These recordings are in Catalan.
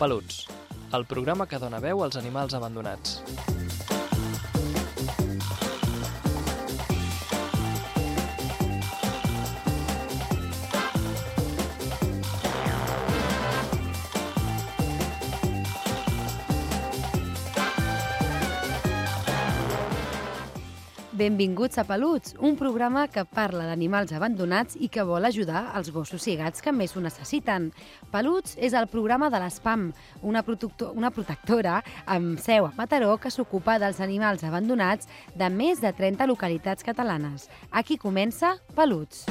Peluts, el programa que dona veu als animals abandonats. Benvinguts a Peluts, un programa que parla d'animals abandonats i que vol ajudar els gossos i gats que més ho necessiten. Peluts és el programa de l'SPAM, una protectora amb seu a Mataró que s'ocupa dels animals abandonats de més de 30 localitats catalanes. Aquí comença Peluts.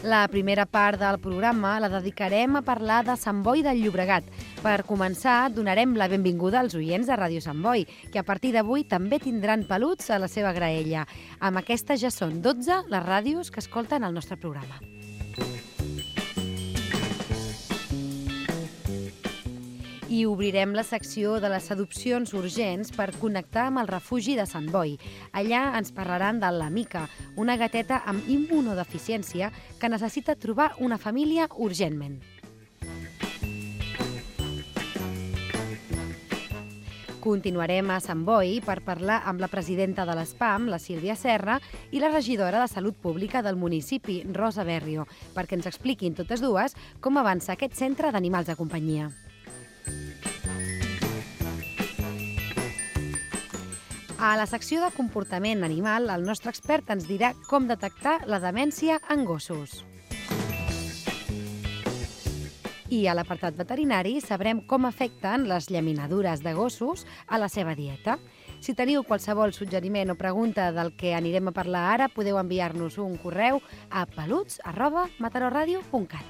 La primera part del programa la dedicarem a parlar de Sant Boi del Llobregat. Per començar, donarem la benvinguda als oients de Ràdio Sant Boi, que a partir d'avui també tindran peluts a la seva graella. Amb aquestes ja són 12 les ràdios que escolten el nostre programa. I obrirem la secció de les adopcions urgents per connectar amb el refugi de Sant Boi. Allà ens parlaran de la Mica, una gateta amb immunodeficiència que necessita trobar una família urgentment. Continuarem a Sant Boi per parlar amb la presidenta de l'SPAM, la Sílvia Serra, i la regidora de Salut Pública del municipi, Rosa Berrio, perquè ens expliquin totes dues com avança aquest centre d'animals de companyia. A la secció de comportament animal, el nostre expert ens dirà com detectar la demència en gossos. I a l'apartat veterinari sabrem com afecten les llaminadures de gossos a la seva dieta. Si teniu qualsevol suggeriment o pregunta del que anirem a parlar ara, podeu enviar-nos un correu a peluts@mataroradio.cat.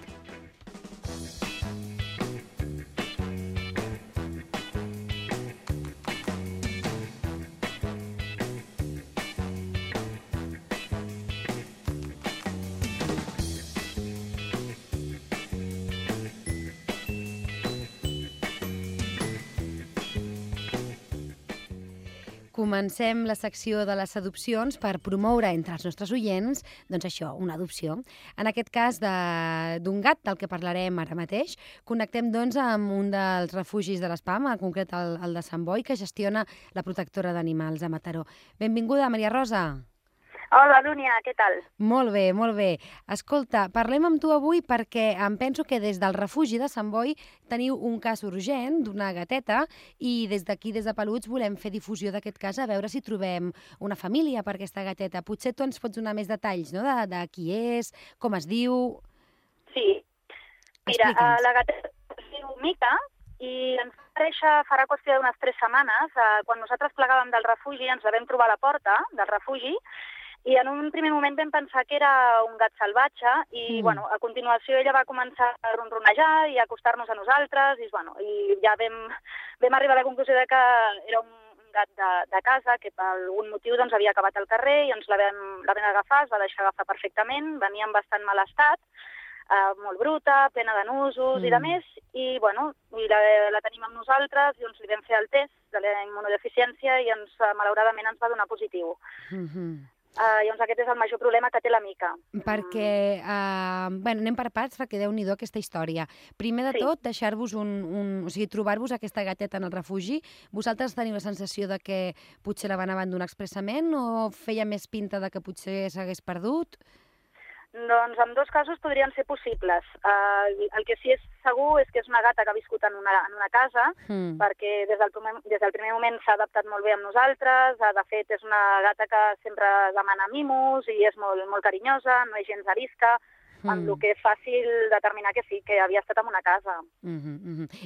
Comencem la secció de les adopcions per promoure entre els nostres oients, doncs això, una adopció. En aquest cas d'un gat, del que parlarem ara mateix, connectem doncs amb un dels refugis de l'SPAM, en concret el de Sant Boi, que gestiona la protectora d'animals a Mataró. Benvinguda, Maria Rosa. Hola, Lúnia, què tal? Molt bé, molt bé. Escolta, parlem amb tu avui perquè em penso que des del refugi de Sant Boi teniu un cas urgent d'una gateta i des d'aquí, des de Peluts, volem fer difusió d'aquest cas a veure si trobem una família per aquesta gateta. Potser tu ens pots donar més detalls, no?, de qui és, com es diu... Sí. Mira, la gateta es diu Mica i ens va aparèixer farà qüestió d'unes 3 setmanes. Quan nosaltres plegàvem del refugi ens la vam trobar a la porta del refugi i en un primer moment vam pensar que era un gat salvatge i bueno, a continuació ella va començar a ronronejar i a acostar-nos a nosaltres i ja vam arribar a la conclusió de que era un gat de casa que per algun motiu doncs, havia acabat al carrer i ens la vam agafar, es va deixar agafar perfectament, venia en bastant mal estat, molt bruta, plena de nusos i de més, i la tenim amb nosaltres i li vam fer el test de la immunodeficiència i malauradament ens va donar positiu. Llavors aquest és el major problema que té la Mica. Perquè, anem per parts perquè Déu-n'hi-do aquesta història. Primer de tot, deixar-vos o sigui, trobar-vos aquesta gateta en el refugi. Vosaltres teniu la sensació de que potser la van abandonar expressament o feia més pinta de que potser s'hagués perdut? Doncs en dos casos podrien ser possibles. El que sí és segur és que és una gata que ha viscut en una casa, perquè des del primer moment s'ha adaptat molt bé amb nosaltres. De fet, és una gata que sempre demana mimos i és molt, molt carinyosa, no és gens arisca, amb el que és fàcil determinar que sí, que havia estat en una casa.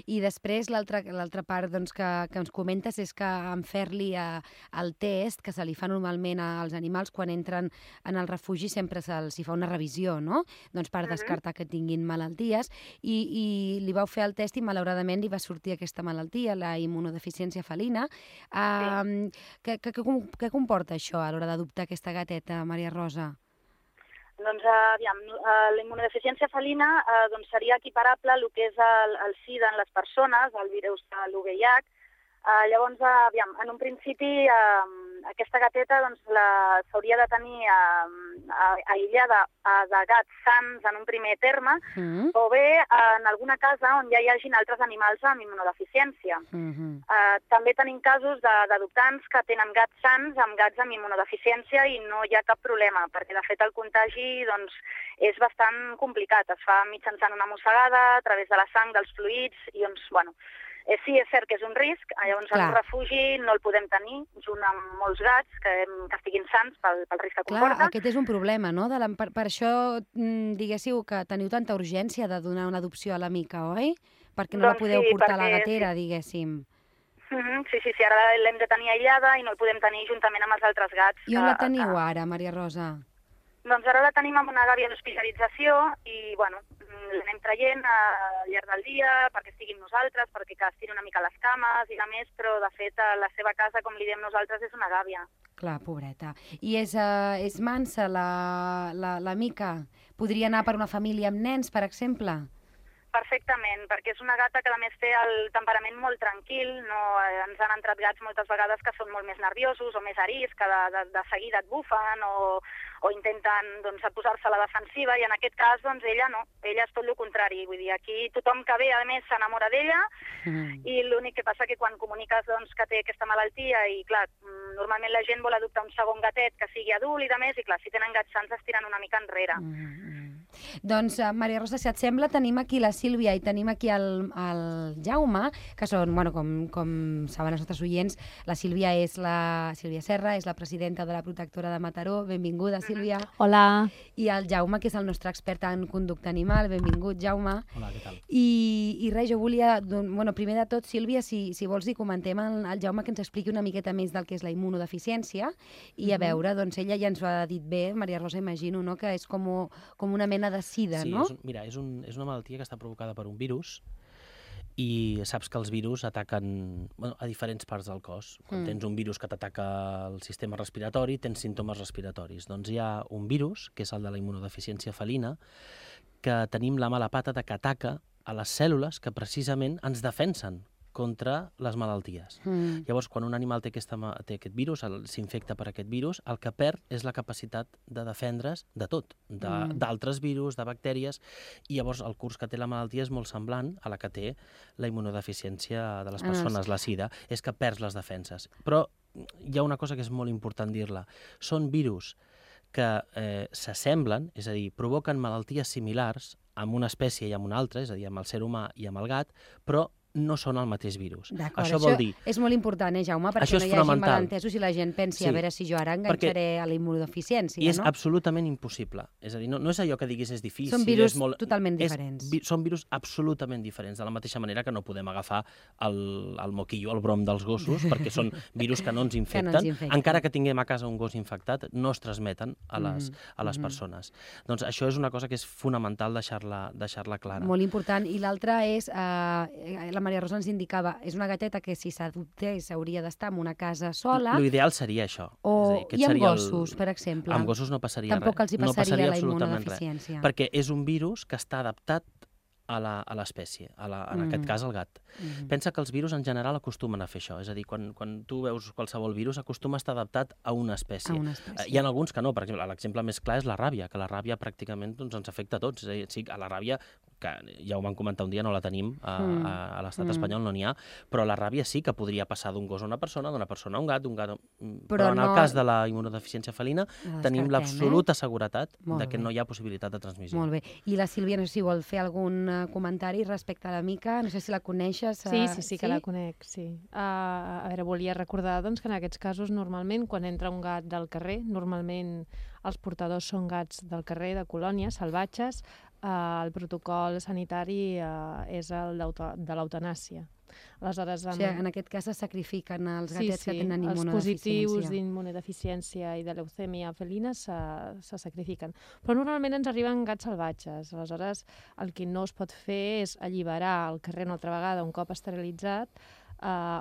I després l'altra part doncs, que ens comentes és que en fer-li el test que se li fa normalment als animals quan entren en el refugi sempre se'ls fa una revisió, no? Doncs per descartar que tinguin malalties i li vau fer el test i malauradament li va sortir aquesta malaltia, la immunodeficiència felina. Què comporta això a l'hora d'adoptar aquesta gateta, Maria Rosa? Doncs, la immunodeficiència felina seria equiparable al que és el SIDA en les persones, el virus de l'UVIH. Llavors, en un principi, aquesta gateta s'hauria de tenir aïllada de gats sans en un primer terme, o bé en alguna casa on ja hi hagin altres animals amb immunodeficiència. També tenim casos d'adoptants que tenen gats sans amb gats amb immunodeficiència i no hi ha cap problema, perquè de fet el contagi és bastant complicat. Es fa mitjançant una mossegada, a través de la sang, dels fluids, i sí, és cert que és un risc, llavors en un refugi no el podem tenir, junt amb molts gats que estiguin sans pel risc que comporta. Clar, aquest és un problema, no? Per això, diguéssiu, que teniu tanta urgència de donar una adopció a la Mica, oi? Perquè no la podeu portar a la gatera, diguéssim. Sí, ara l'hem de tenir aïllada i no el podem tenir juntament amb els altres gats. I on la teniu ara, Maria Rosa? Doncs ara la tenim amb una gàbia d'hospitalització i, l'anem traient al llarg del dia perquè estigui amb nosaltres, perquè que estiri una mica les cames i la més, però de fet la seva casa, com li diem nosaltres, és una gàbia. Clar, pobreta. I és mansa la Mica? Podria anar per una família amb nens, per exemple? Perfectament, perquè és una gata que a més té el temperament molt tranquil, ens han entrat gats moltes vegades que són molt més nerviosos o més ariscs, que de seguida et bufen o intenten posar-se a la defensiva, i en aquest cas ella no, ella és tot el contrari, vull dir, aquí tothom que ve a més s'enamora d'ella i l'únic que passa que quan comuniques que té aquesta malaltia i clar, normalment la gent vol adoptar un segon gatet que sigui adult i de més, i clar, si tenen gats sans es tiren una mica enrere. Doncs, Maria Rosa, si et sembla, tenim aquí la Sílvia i tenim aquí el Jaume, que són, com saben els nostres oients, la Sílvia és la Sílvia Serra, és la presidenta de la Protectora de Mataró. Benvinguda, Sílvia. Hola. I el Jaume, que és el nostre expert en conducta animal. Benvingut, Jaume. Hola, què tal? I res, jo volia, primer de tot, Sílvia, si vols dir, comentem al Jaume que ens expliqui una miqueta més del que és la immunodeficiència i a veure, ella ja ens ho ha dit bé, Maria Rosa, imagino, no?, que és com una mena de sida, no? Sí, és una malaltia que està provocada per un virus i saps que els virus ataquen a diferents parts del cos. Quan tens un virus que t'ataca el sistema respiratori, tens símptomes respiratoris. Doncs hi ha un virus, que és el de la immunodeficiència felina, que tenim la mala pata de que ataca a les cèl·lules que precisament ens defensen contra les malalties. Llavors, quan un animal té aquest virus, s'infecta per aquest virus, el que perd és la capacitat de defendre's de tot, d'altres virus, de bactèries, i llavors el curs que té la malaltia és molt semblant a la que té la immunodeficiència de les persones, la sida, és que perds les defenses. Però hi ha una cosa que és molt important dir-la. Són virus que s'assemblen, és a dir, provoquen malalties similars amb una espècie i amb una altra, és a dir, amb el ser humà i amb el gat, però no són el mateix virus. Això vol dir... és molt important, Jaume, perquè no hi hagi malentesos i la gent pensi, a veure si jo ara enganxaré a la immunodeficiència, no? I és absolutament impossible. És a dir, no és allò que diguis és difícil. Són virus totalment diferents. Són virus absolutament diferents, de la mateixa manera que no podem agafar el moquillo, el brom dels gossos, perquè són virus que no ens infecten. Encara que tinguem a casa un gos infectat, no es transmeten a les persones. Doncs això és una cosa que és fonamental deixar-la clara. Molt important. I l'altra és... la Maria Rosa ens indicava, és una gateta que si s'adoptés hauria d'estar en una casa sola. L'ideal seria això. I amb gossos, per exemple. Amb gossos no passaria res. Tampoc els hi passaria la immunodeficiència. Perquè és un virus que està adaptat a l'espècie, en aquest cas al gat. Pensa que els virus en general acostumen a fer això, és a dir, quan tu veus qualsevol virus acostuma a estar adaptat a una espècie. Hi ha alguns que no, per exemple, l'exemple més clar és la ràbia, que la ràbia pràcticament ens afecta a tots, és a dir, sí, a la ràbia, que ja ho vam comentar un dia, no la tenim, a l'estat espanyol no n'hi ha, però la ràbia sí que podria passar d'un gos a una persona, d'una persona a un gat, però en el cas de la immunodeficiència felina tenim l'absoluta seguretat que no hi ha possibilitat de transmissió. Molt bé. I la Sílvia, no sé si vol fer algun comentari respecte a la Mica, no sé si la coneixes. Sí, que la conec, sí. A veure, volia recordar que en aquests casos normalment quan entra un gat del carrer, normalment els portadors són gats del carrer, de colònies, salvatges, el protocol sanitari és el de l'eutanàsia. Aleshores, en aquest cas se sacrifiquen els gatets que tenen immunodeficiència. Els positius d'immunodeficiència i de leucèmia felina se sacrifiquen. Però normalment ens arriben gats salvatges. Aleshores, el que no es pot fer és alliberar al carrer una altra vegada, un cop esterilitzat,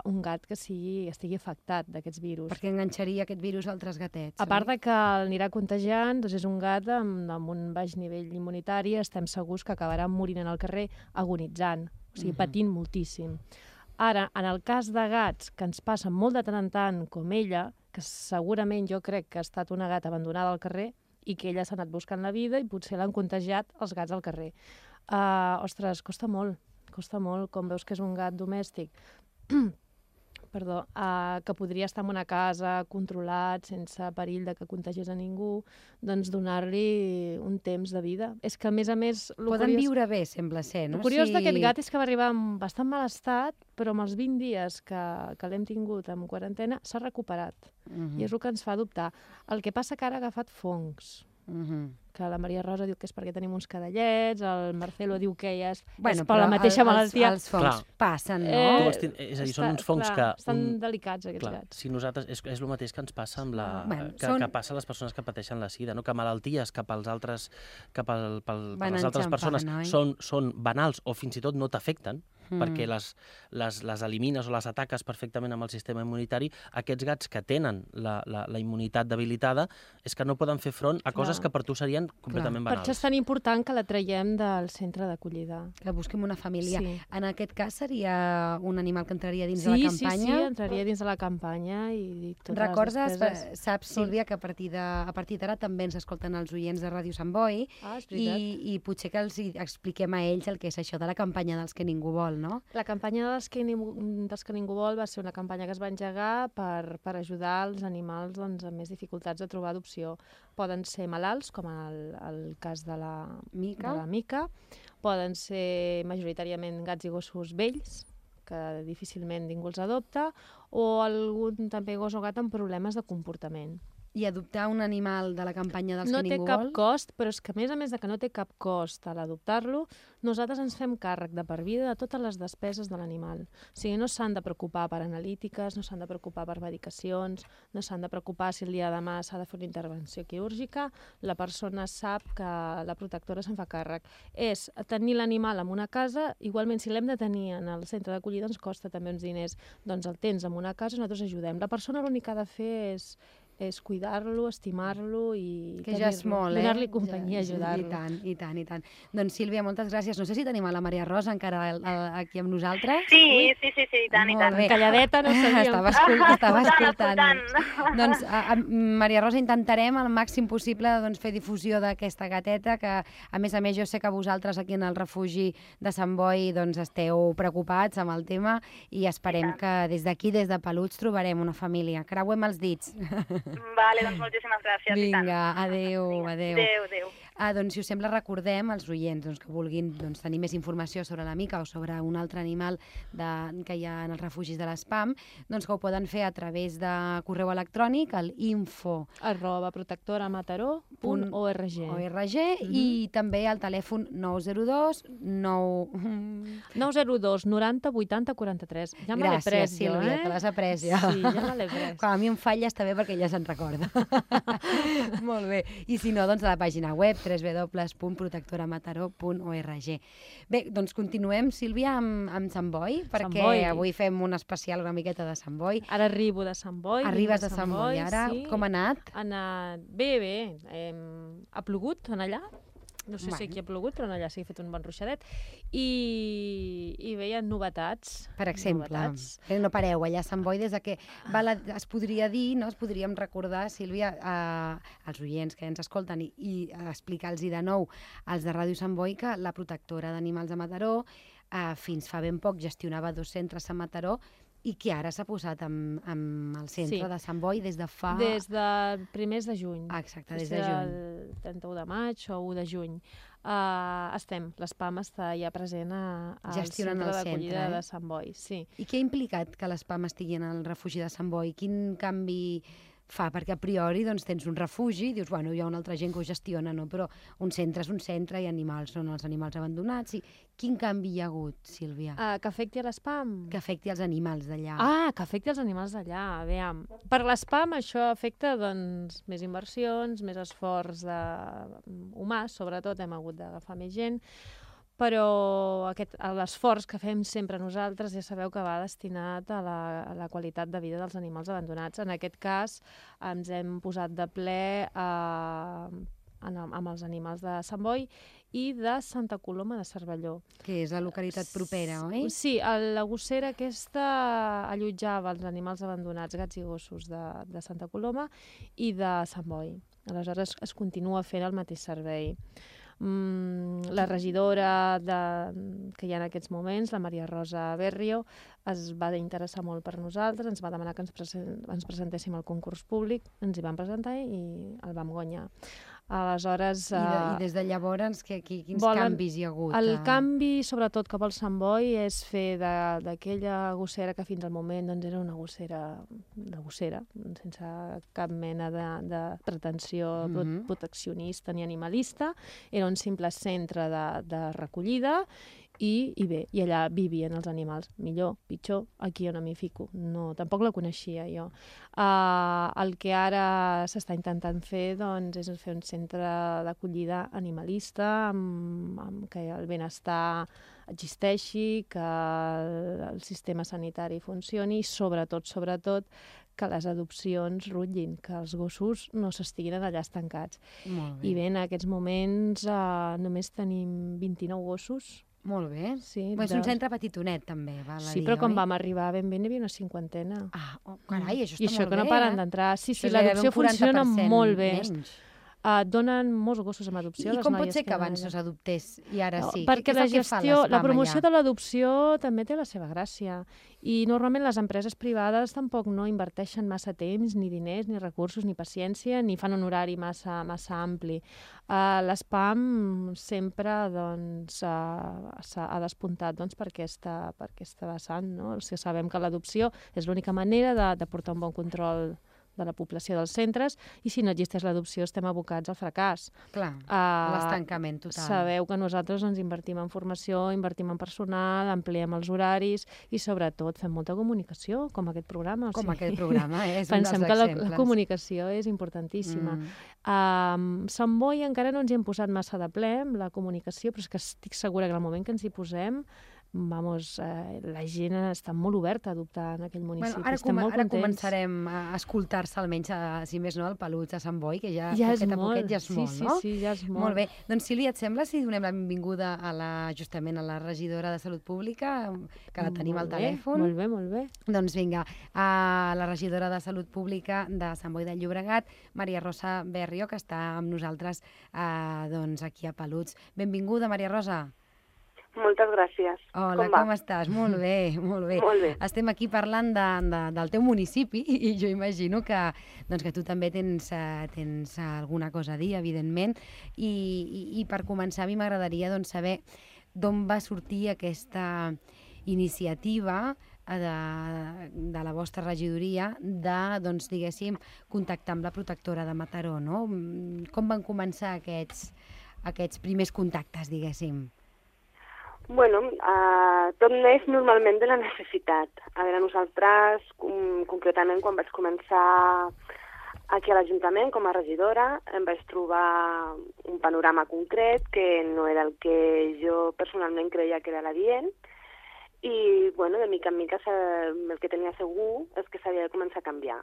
un gat que estigui afectat d'aquests virus. Perquè enganxaria aquest virus a altres gatets. A part de que l'anirà contagiant, és un gat amb un baix nivell immunitari, estem segurs que acabarà morint en el carrer agonitzant, o sigui, patint moltíssim. Ara, en el cas de gats, que ens passen molt de tant en tant, com ella, que segurament jo crec que ha estat una gata abandonada al carrer i que ella s'ha anat buscant la vida i potser l'han contagiat els gats al carrer. Ostres, costa molt, com veus que és un gat domèstic. Perdó, que podria estar en una casa controlat, sense perill de que contagiés a ningú, doncs donar-li un temps de vida. És que, a més... Poden viure bé, sembla ser, no? El curiós d'aquest gat és que va arribar en bastant mal estat, però amb els 20 dies que l'hem tingut en quarantena s'ha recuperat. I és el que ens fa dubtar. El que passa que ara ha agafat fongs. Que la Maria Rosa diu que és perquè tenim uns cadallets, el Marcelo diu que ja és per la mateixa malaltia. Els fongs passen, no? És a dir, són uns fongs que... Estan delicats, aquests gats. Si nosaltres... És el mateix que ens passa amb que passa a les persones que pateixen la sida, no? Que malalties cap als altres... per les altres persones són banals o fins i tot no t'afecten, perquè les elimines o les ataques perfectament amb el sistema immunitari. Aquests gats que tenen la immunitat debilitada és que no poden fer front a coses que per tu serien completament banals. Per això és tan important que la traiem del centre d'acollida. Que busquem una família. Sí. En aquest cas seria un animal que entraria dins de la campanya? Sí, entraria dins de la campanya i totes Recordes, les despeses... saps, Sílvia, que a partir d'ara també ens escolten els oients de Ràdio Sant Boi i potser que els expliquem a ells el que és això de la campanya dels que ningú vol, no? La campanya dels que ningú vol va ser una campanya que es va engegar per ajudar els animals amb més dificultats de trobar adopció. Poden ser malalts, com el cas de la Mica, poden ser majoritàriament gats i gossos vells, que difícilment ningú els adopta, o algun també gos o gat amb problemes de comportament. I adoptar un animal de la campanya dels que ningú vol? No té cap cost, però és que a més de que no té cap cost a l'adoptar-lo, nosaltres ens fem càrrec de per vida de totes les despeses de l'animal. O sigui, no s'han de preocupar per analítiques, no s'han de preocupar per medicacions, no s'han de preocupar si el dia de demà s'ha de fer una intervenció quirúrgica, la persona sap que la protectora se'n fa càrrec. És tenir l'animal en una casa, igualment si l'hem de tenir en el centre d'acollida ens costa també uns diners, doncs el tens en una casa i nosaltres ajudem. La persona l'únic que ha de fer és cuidar-lo, estimar-lo i que ja és molt, donar-li companyia, ajudar-lo. I tant. Doncs Sílvia, moltes gràcies. No sé si tenim a la Maria Rosa encara aquí amb nosaltres. Sí, i tant. Calladeta, no sabíem. Estava escoltant. Doncs, Maria Rosa, intentarem al màxim possible fer difusió d'aquesta gateta, que a més jo sé que vosaltres aquí en el refugi de Sant Boi esteu preocupats amb el tema i esperem que des d'aquí, des de Peluts, trobarem una família. Creuem els dits. Vale, doncs moltíssimes gràcies. Vinga, adéu. Adéu. Doncs, si us sembla, recordem als oients que vulguin tenir més informació sobre la Mica o sobre un altre animal que hi ha en els refugis de l'ESPAM, que ho poden fer a través de correu electrònic al info@protectoramataró.org i també al telèfon 902 90 80 43. Ja me l'he pres, gràcies, Sílvia, te l'has après ja. Sí, ja me l'he pres. Quan a mi em falla està bé perquè ja se'n recorda. Molt bé. I si no, a la pàgina web www.protectoramataró.org. Bé, doncs continuem, Sílvia, amb Sant Boi, perquè avui fem un especial una miqueta de Sant Boi. Ara arribo de Sant Boi. Arribes de Sant Boi, ara. Sí. Com ha anat? Ha anat bé. Ha plogut en allà. No sé si aquí ha plogut, però allà sí que he fet un bon ruixadet. I bé, hi ha novetats. Per exemple, no pareu allà a Sant Boi, des que es podria dir, es podríem recordar, Sílvia, als oients que ens escolten i explicar-los de nou als de Ràdio Sant Boi que la protectora d'animals de Mataró fins fa ben poc gestionava 2 centres a Mataró i que ara s'ha posat amb el centre de Sant Boi des de fa... Des de primers de juny. Exacte, des de juny. Del 31 de maig o 1 de juny. L'ESPAM està ja present al centre d'acollida de Sant Boi. Sí. I què ha implicat que l'ESPAM estigui en el refugi de Sant Boi? Quin canvi fa? Perquè a priori tens un refugi i dius, hi ha una altra gent que ho gestiona, no? Però un centre és un centre i animals són els animals abandonats. Quin canvi hi ha hagut, Sílvia? Que afecti a l'ESPAM? Que afecti els animals d'allà. Que afecti els animals d'allà. Aviam. Per l'ESPAM això afecta més inversions, més esforç humà, sobretot hem hagut d'agafar més gent, però l'esforç que fem sempre nosaltres ja sabeu que va destinat a la qualitat de vida dels animals abandonats. En aquest cas ens hem posat de ple amb els animals de Sant Boi i de Santa Coloma de Cervelló. Que és la localitat propera, oi? Sí, la gossera aquesta allotjava els animals abandonats, gats i gossos de Santa Coloma i de Sant Boi. Aleshores es continua fent el mateix servei. La regidora que hi ha en aquests moments, la Maria Rosa Berrio, es va interessar molt per nosaltres, ens va demanar que ens presentéssim al concurs públic, ens hi vam presentar i el vam guanyar. Aleshores... I des de llavors, quins canvis hi ha hagut? El canvi, sobretot, que vol Sant Boi és fer d'aquella gossera que fins al moment doncs, era una gossera de gossera, sense cap mena de pretensió proteccionista ni animalista. Era un simple centre de recollida i bé, i allà vivien els animals. Millor, pitjor, aquí jo no m'hi fico. No, tampoc la coneixia jo. El que ara s'està intentant fer doncs, és fer un centre d'acollida animalista amb que el benestar existeixi, que el sistema sanitari funcioni i sobretot que les adopcions rutllin, que els gossos no s'estiguin allà estancats. I bé, en aquests moments només tenim 29 gossos. Molt bé. Sí, és un centre petitonet, també, val a dir, sí, però quan vam arribar ben bé n'hi havia una 50. Carai, això està molt bé. I això que no paren d'entrar. Sí, l'adopció funciona molt bé. Donen molts gossos amb adopció. I com pot ser que abans no s'adoptés i ara sí? Perquè la gestió, la promoció de l'adopció també té la seva gràcia. I normalment les empreses privades tampoc no inverteixen massa temps, ni diners, ni recursos, ni paciència, ni fan un horari massa ampli. L'SPAM sempre ha despuntat per aquesta vessant. Sabem que l'adopció és l'única manera de portar un bon control de la població dels centres, i si no existeix l'adopció estem abocats al fracàs. Clar, l'estancament total. Sabeu que nosaltres ens invertim en formació, invertim en personal, ampliem els horaris i sobretot fem molta comunicació, com aquest programa. Com aquest programa, és un dels exemples. Pensem que la comunicació és importantíssima. Sant Boi encara no ens hi hem posat massa de ple amb la comunicació, però és que estic segura que en el moment que ens hi posem la gent està molt oberta a adoptar en aquell municipi. Ara començarem a escoltar-se, almenys, si més no, el pelut a Sant Boi, que ja poquet a poquet ja és molt, no? Sí, ja és molt. Molt bé. Doncs, Sílvia, et sembla si donem la benvinguda justament a la regidora de Salut Pública, que la tenim al telèfon? Molt bé. Doncs vinga, a la regidora de Salut Pública de Sant Boi de Llobregat, Maria Rosa Berrio, que està amb nosaltres aquí a Peluts. Benvinguda, Maria Rosa. Moltes gràcies. Hola, com estàs? Molt bé, molt bé. Molt bé. Estem aquí parlant del teu municipi i jo imagino que tu també tens alguna cosa a dir, evidentment. I per començar, a mi m'agradaria saber d'on va sortir aquesta iniciativa de la vostra regidoria de, diguéssim, contactar amb la protectora de Mataró, no? Com van començar aquests primers contactes, diguéssim? Bueno, tot neix normalment de la necessitat. A veure, nosaltres, concretament, quan vaig començar aquí a l'Ajuntament com a regidora, em vaig trobar un panorama concret que no era el que jo personalment creia que era l'adient i, bueno, de mica en mica el que tenia segur és que s'havia de començar a canviar.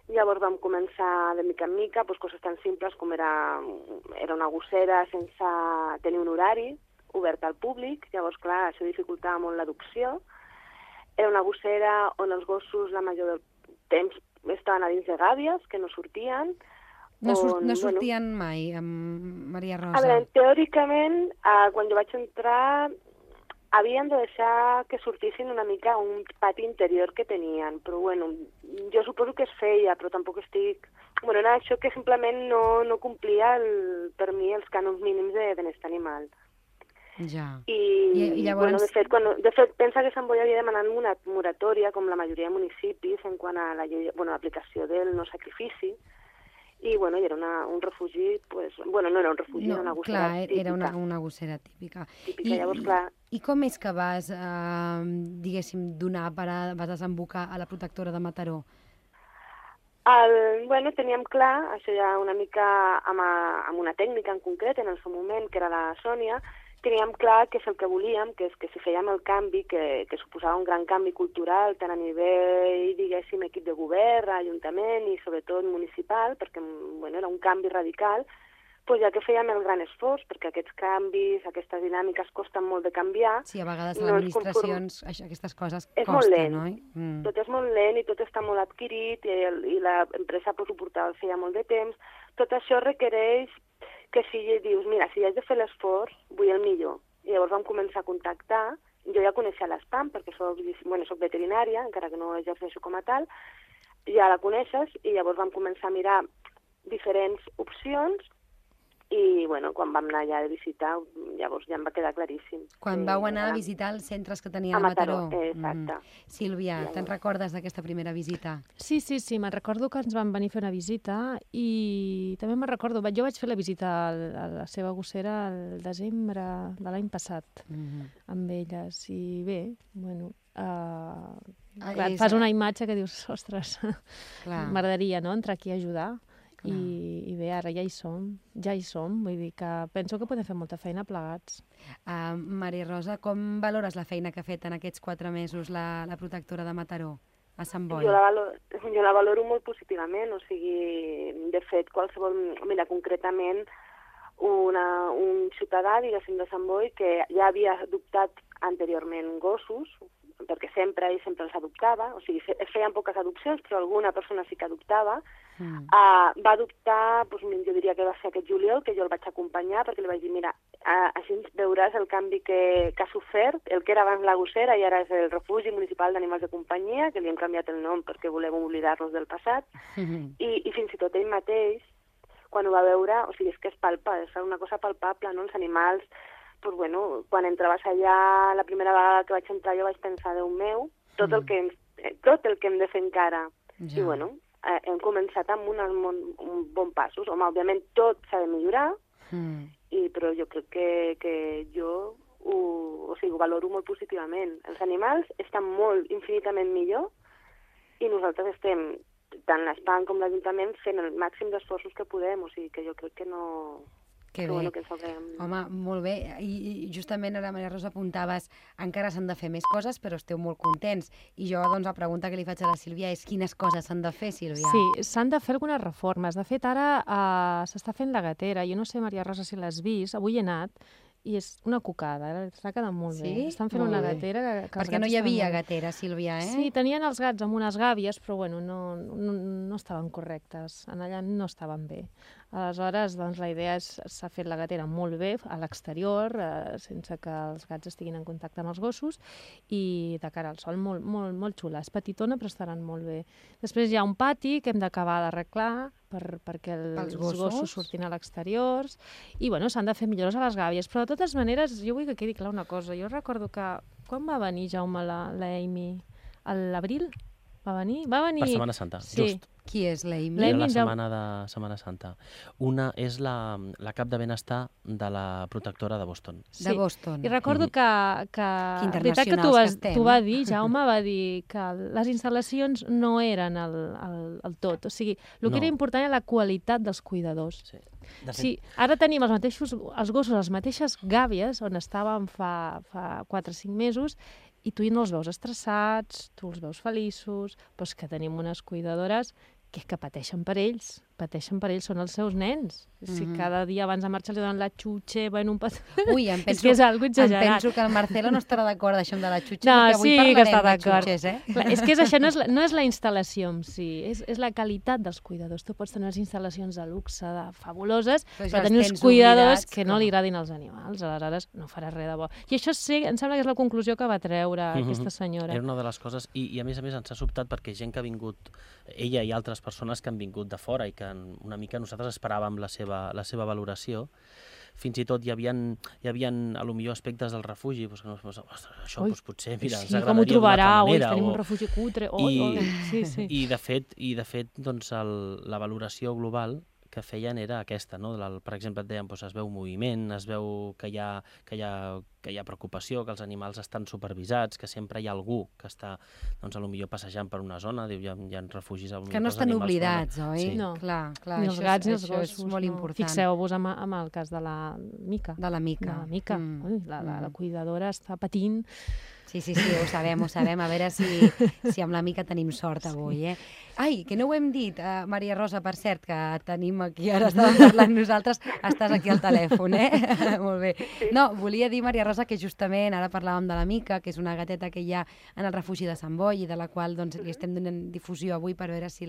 Llavors vam començar de mica en mica coses tan simples com era una gossera sense tenir un horari, oberta al públic, llavors, clar, això dificultava molt l'adopció. Era una gossera on els gossos la major del temps estaven a dins de gàbies, que no sortien. No sortien mai, amb Maria Rosa? A veure, teòricament, quan jo vaig entrar, havien de deixar que sortissin una mica a un pati interior que tenien, però, bueno, jo suposo que es feia, però tampoc estic... Bueno, era això que simplement no complia, per mi, els cànons mínims de benestar animal. Ja. I llavors... Bueno, de fet, pensa que Sant Boi havia demanat una moratòria, com la majoria de municipis, en quant a l'aplicació del no sacrifici, i, bueno, era un refugi, bueno, no era un refugi, era una gossera típica. Era una gossera típica. Llavors, clar... I com és que vas, diguéssim, vas desembocar a la protectora de Mataró? Bueno, teníem clar, això ja una mica amb una tècnica en concret, en el seu moment, que era la Sònia, teníem clar que és el que volíem, que és que si fèiem el canvi, que suposava un gran canvi cultural, tant a nivell, diguéssim, equip de govern, ajuntament i sobretot municipal, perquè bueno, era un canvi radical, doncs ja que fèiem el gran esforç, perquè aquests canvis, aquestes dinàmiques costen molt de canviar. Sí, a vegades a les administracions aquestes coses és costen, molt lent. no? Tot és molt lent i tot està molt adquirit i l'empresa ho portava feia molt de temps. Tot això requereix que si dius, mira, si haig de fer l'esforç, vull el millor. I llavors vam començar a contactar. Jo ja coneixia l'Espam perquè soc veterinària, encara que no exerceixo com a tal. Ja la coneixes i llavors vam començar a mirar diferents opcions i, quan vam anar ja a visitar, llavors ja em va quedar claríssim. Quan vau anar a visitar els centres que tenia a Mataró. Exacte. Sílvia, te'n recordes d'aquesta primera visita? Sí, me'n recordo que ens van venir a fer una visita i també me'n recordo, jo vaig fer la visita a la seva gossera al desembre de l'any passat amb elles i bé, clar, et fas una imatge que dius, ostres, m'agradaria entrar aquí a ajudar. I bé, ara ja hi som, vull dir que penso que podem fer molta feina plegats. Maria Rosa, com valores la feina que ha fet en aquests 4 mesos la protectora de Mataró a Sant Boi? Jo la valoro molt positivament, o sigui, de fet, mira, concretament, un ciutadà, diguéssim, de Sant Boi, que ja havia adoptat anteriorment gossos, perquè sempre els adoptava, o sigui, es feien poques adopcions, però alguna persona sí que adoptava, va adoptar, jo diria que va ser aquest juliol, que jo el vaig acompanyar, perquè li vaig dir, mira, així veuràs el canvi que ha sofert, el que era abans la gossera i ara és el Refugi Municipal d'Animals de Companyia, que li hem canviat el nom perquè volem oblidar-nos del passat, i fins i tot ell mateix, quan ho va veure, o sigui, és que és una cosa palpable, no? Els animals, quan entraves allà, la primera vegada que vaig entrar jo vaig pensar, Déu meu, tot el que hem de fer encara. I hem començat amb un bon passos. Home, òbviament tot s'ha de millorar, però jo crec que jo ho valoro molt positivament. Els animals estan infinitament millor i nosaltres estem, tant l'Espam com l'Ajuntament, fent el màxim d'esforços que podem, o sigui que jo crec que no... Que bé. Home, molt bé. I justament ara, Maria Rosa, apuntaves encara s'han de fer més coses, però esteu molt contents. I jo, la pregunta que li faig a la Sílvia és quines coses s'han de fer, Sílvia? Sí, s'han de fer algunes reformes. De fet, ara s'està fent la gatera. Jo no sé, Maria Rosa, si l'has vist. Avui he anat i és una cucada, està quedant molt bé. Estan fent una gatera que perquè no hi havia gatera, Sílvia, eh? Sí, tenien els gats amb unes gàbies, però no estaven correctes. Allà no estaven bé. Aleshores, la idea s'ha fet la gatera molt bé a l'exterior, sense que els gats estiguin en contacte amb els gossos, i de cara al sol molt xula. És petitona, però estaran molt bé. Després hi ha un pati que hem d'acabar d'arreglar perquè els gossos surtin a l'exterior, i s'han de fer millores a les gàbies. Però de totes maneres, jo vull que quedi clar una cosa. Jo recordo que quan va venir, Jaume, la Amy? A l'abril? Va venir? Per Setmana Santa, just. Qui és l'Amy? Era la setmana de Setmana Santa. Una és la cap de benestar de la protectora de Boston. De Boston. I recordo que veritat que t'ho va dir, Jaume, va dir que les instal·lacions no eren el tot. O sigui, el que era important era la qualitat dels cuidadors. Sí, ara tenim els gossos, les mateixes gàbies on estàvem fa 4 o 5 mesos, i tu no els veus estressats, tu els veus feliços, però és que tenim unes cuidadores que pateixen per ells, són els seus nens. Si cada dia abans de marxar li donen la xutxa, un petó... Ui, em penso, és que és algo exagerat. Em penso que el Marcelo no estarà d'acord això amb la xutxa, no, perquè avui parlarem de xutxes, Clar, és que això no és la instal·lació en si, és la qualitat dels cuidadors. Tu pots tenir unes instal·lacions de luxe, fabuloses, però tenir uns cuidadors que no li agradin als animals, aleshores no faràs res de bo. I això em sembla que és la conclusió que va treure aquesta senyora. Era una de les coses, i a més ens ha sobtat perquè gent que ha vingut, ella i altres persones que han vingut de fora i que una mica nosaltres esperàvem la seva valoració. Fins i tot hi havia a lo millor aspectes del refugi, que això potser, mira, ens agradaria d'una altra manera. Tenim un refugi cutre. I de fet, doncs, la valoració global que feien era aquesta, no? Per exemple, et deien, es veu moviment, es veu que que hi ha preocupació, que els animals estan supervisats, que sempre hi ha algú que està, doncs, potser passejant per una zona, diu, hi ha refugis... Que no estan oblidats, oi? Sí. No. Clar, ni els gats ni els gossos. És molt important. Fixeu-vos amb el cas de la Mica. De la Mica. De la Mica. La cuidadora està patint. Sí, ho sabem. A veure si amb la Mica tenim sort avui, eh? Ai, que no ho hem dit, Maria Rosa, per cert, que tenim aquí, ara estàvem parlant nosaltres, estàs aquí al telèfon, eh? Molt bé. No, volia dir, Maria Rosa, que justament ara parlàvem de la Mica, que és una gateta que hi ha en el refugi de Sant Boi i de la qual doncs, li estem donant difusió avui per veure si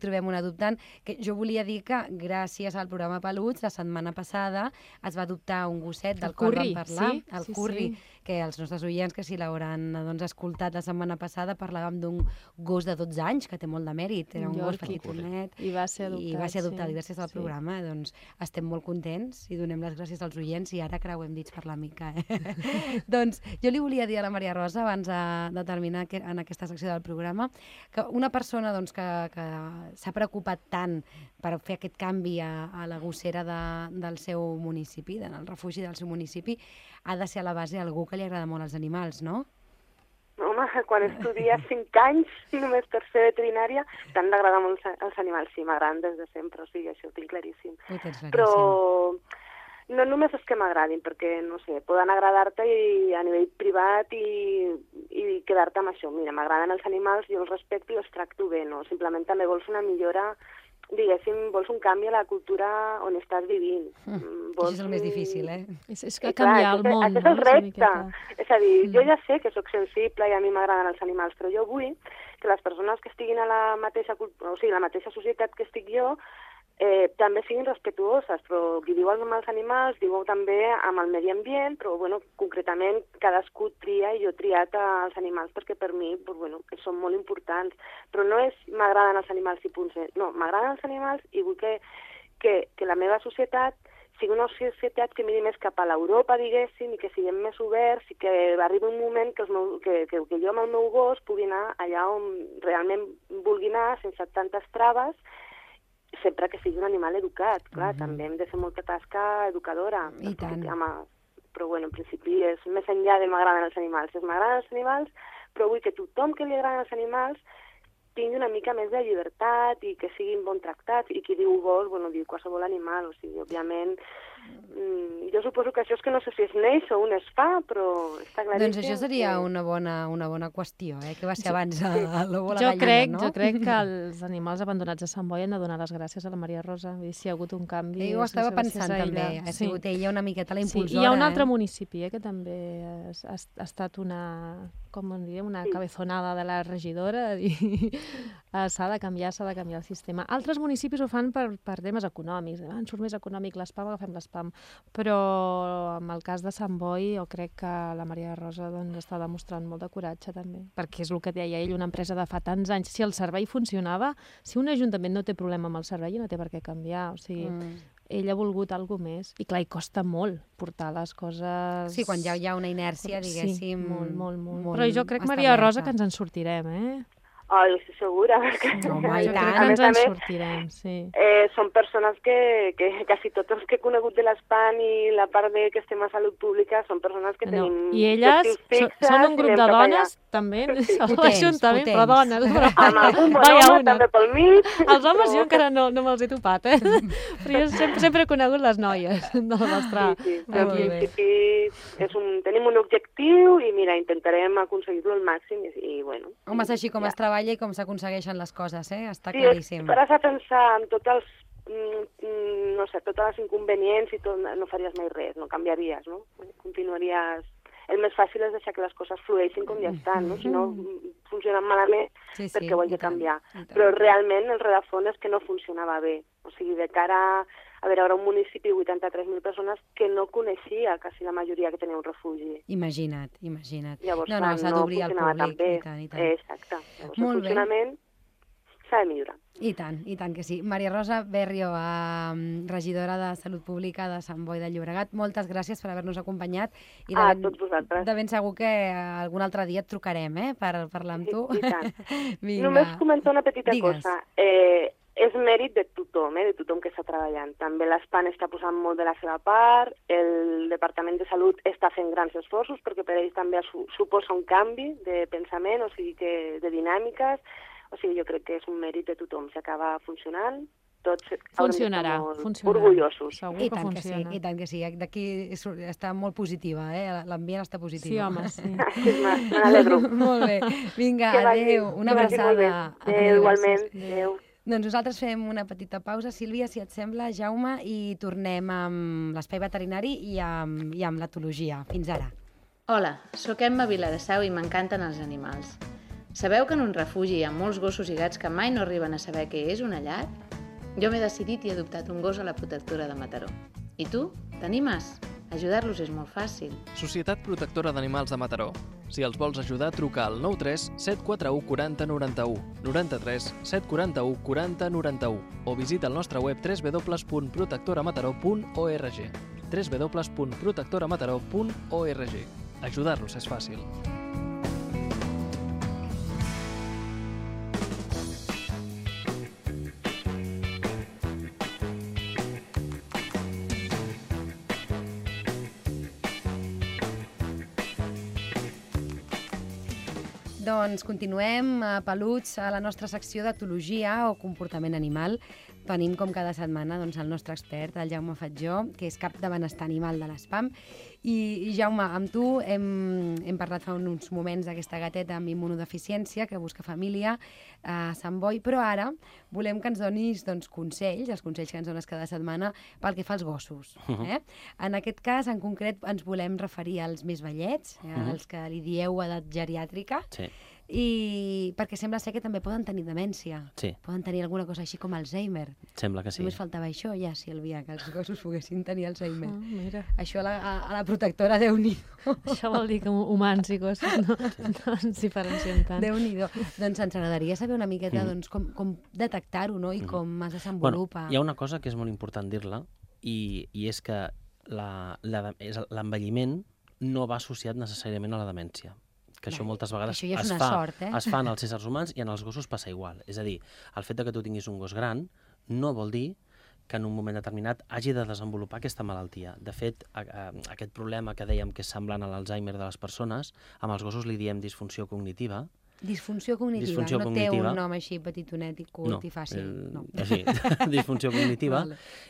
trobem un adoptant, que jo volia dir que gràcies al programa Peluts, la setmana passada es va adoptar un gosset del qual vam parlar, el Curri, que els nostres oients, que si l'hauran escoltat la setmana passada, parlàvem d'un gos de 12 anys, que té molt de mèrit, era un gos petitonet, i va ser adoptat, gràcies al programa, doncs estem molt contents i donem les gràcies als oients i ara creuem dits per la Mica. Doncs jo li volia dir a la Maria Rosa, abans de terminar en aquesta secció del programa, que una persona que s'ha preocupat tant per fer aquest canvi a la gossera del seu municipi, del refugi del seu municipi, ha de ser a la base algú que li agrada molt els animals, no? Home, quan estudies 5 anys només per ser veterinària, t'han d'agradar molt els animals. Sí, m'agraden des de sempre, o sigui, això ho tinc claríssim. Però no només és que m'agradin, perquè, no sé, poden agradar-te a nivell privat i quedar-te amb això. Mira, m'agraden els animals, jo els respecto i els tracto bé, no? Simplement també vols una millora, diguéssim, vols un canvi a la cultura on estàs vivint. Això és el més difícil, eh? És que canviar el món, no? Aquest és el repte. És a dir, jo ja sé que sóc sensible i a mi m'agraden els animals, però jo vull que les persones que estiguin a la mateixa societat que estic jo també siguin respetuoses, però qui diu amb els animals diu també amb el medi ambient, però bueno, concretament cadascú tria i jo he triat els animals perquè per mi són molt importants, però no és m'agraden els animals i punt, no, m'agraden els animals i vull que la meva societat sigui una societat que miri més cap a l'Europa, diguéssim, i que siguem més oberts i que arribi un moment que jo amb el meu gos pugui anar allà on realment vulgui anar sense tantes traves, sempre que sigui un animal educat. Clar, també hem de fer molta tasca educadora. I tant. Però bueno, en principi és més enllà de m'agraden els animals. M'agraden els animals, però vull que tothom que li agraden els animals tingui una mica més de llibertat i que siguin bon tractats, i qui diu gos, diu qualsevol animal, o sigui, òbviament, jo suposo que això és que no sé si es neix o un es fa, però està claríssim. Doncs això seria una bona qüestió, que va ser abans el lobo a la gallina, gallina, no? Jo crec que els animals abandonats a Sant Boi han de donar les gràcies a la Maria Rosa, si hi ha hagut un canvi. Jo ho estava pensant també, ha sigut ella una miqueta la impulsora. Sí, hi ha un altre municipi que també ha estat una cabezonada de la regidora, s'ha de canviar el sistema. Altres municipis ho fan per temes econòmics, ens surt més econòmic l'espam, agafem l'espam, però en el cas de Sant Boi jo crec que la Maria Rosa està demostrant molt de coratge també, perquè és el que deia ell, una empresa de fa tants anys, si el servei funcionava, si un ajuntament no té problema amb el servei no té per què canviar, o sigui, ell ha volgut alguna cosa més, i clar, hi costa molt portar les coses... Sí, quan ja hi ha una inèrcia, diguéssim... Sí, molt. Però jo crec, Maria Rosa, que ens en sortirem, jo estic segura. Home, i tant. Ens en sortirem, sí. Són persones que quasi tots els que he conegut de l'ESPAN i la part que estem a Salut Pública són persones que tenim... I elles són un grup de dones, també, l'Ajuntament, però dones. Amb algun bon home, també pel mig. Els homes jo encara no me'ls he topat, però jo sempre he conegut les noies del nostre equip. Tenim un objectiu i, mira, intentarem aconseguir-lo al màxim i, bueno... Home, és així com es treballa i com s'aconsegueixen les coses, està claríssim. Si pares a pensar en tots totes les inconvenients i tot, no faries mai res, no canviaries, no? Continuaries... El més fàcil és deixar que les coses flueixin com ja estan, no? Si no funcionen malament, perquè ho haig de canviar. Però realment el rerefons és que no funcionava bé. O sigui, de cara a veure, ara un municipi de 83.000 persones que no coneixia quasi la majoria que tenia un refugi. Imagina't. Llavors, s'ha d'obrir al públic. I tant. Exacte. Llavors, el funcionament s'ha de millorar. I tant que sí. Maria Rosa Berrio, regidora de Salut Pública de Sant Boi de Llobregat, moltes gràcies per haver-nos acompanyat. I tots vosaltres. De ben segur que algun altre dia et trucarem, per parlar amb tu. I tant. Només comentar una petita cosa. és mèrit de tothom que està treballant. També l'ESPAN està posant molt de la seva part, el Departament de Salut està fent grans esforços perquè per ells també suposa un canvi de pensament, o sigui, de dinàmiques, o sigui, jo crec que és un mèrit de tothom. Si acaba funcionant, tots funcionarà, orgullosos. Segur I que tant funciona. que sí, i tant que sí. D'aquí està molt positiva, l'ambient està positiu. Sí, home, sí. Sí, me n'alegro. Molt bé. Vinga, adéu, una abraçada. Adéu, igualment. Adéu. Doncs nosaltres fem una petita pausa, Sílvia, si et sembla, Jaume, i tornem amb l'espai veterinari i amb l'etologia. Fins ara. Hola, sóc Emma Viladasau i m'encanten els animals. Sabeu que en un refugi hi ha molts gossos i gats que mai no arriben a saber què és una llar? Jo m'he decidit i he adoptat un gos a la protectora de Mataró. I tu? T'animes? Ajudar-los és molt fàcil. Societat Protectora d'Animals de Mataró. Si els vols ajudar, truca al 93 741 40 91, 93 741 40 91 o visita el nostre web www.protectoramataró.org www.protectoramataró.org. Ajudar-los és fàcil. Doncs continuem, peluts, a la nostra secció d'etologia o comportament animal. Tenim, com cada setmana, doncs, el nostre expert, el Jaume Fatjó, que és cap de benestar animal de l'ESPAM. I Jaume, amb tu hem parlat fa uns moments d'aquesta gateta amb immunodeficiència que busca família a Sant Boi, però ara volem que ens donis consells, els consells que ens dones cada setmana pel que fa als gossos. En aquest cas, en concret, ens volem referir als més vellets, als que li dieu edat geriàtrica, i perquè sembla ser que també poden tenir demència. Poden tenir alguna cosa així com Alzheimer. Sembla que sí. Només faltava això, ja, Sílvia, que els gossos poguessin tenir Alzheimer. Mira. Això a la protectora, Déu-n'hi-do. Això vol dir que humans i gossos no ens diferenciem tant. Déu-n'hi-do. Doncs ens agradaria saber una miqueta com detectar-ho, no? I com es desenvolupa. Hi ha una cosa que és molt important dir-la, i és que l'envelliment no va associat necessàriament a la demència. Que això moltes vegades això ja és es fa en els éssers humans i en els gossos passa igual. És a dir, el fet que tu tinguis un gos gran no vol dir que en un moment determinat hagi de desenvolupar aquesta malaltia. De fet, aquest problema que dèiem que és semblant a l'Alzheimer de les persones, amb els gossos li diem disfunció cognitiva. Disfunció cognitiva, no té un nom així petitonet i curt i fàcil. No, sí, disfunció cognitiva.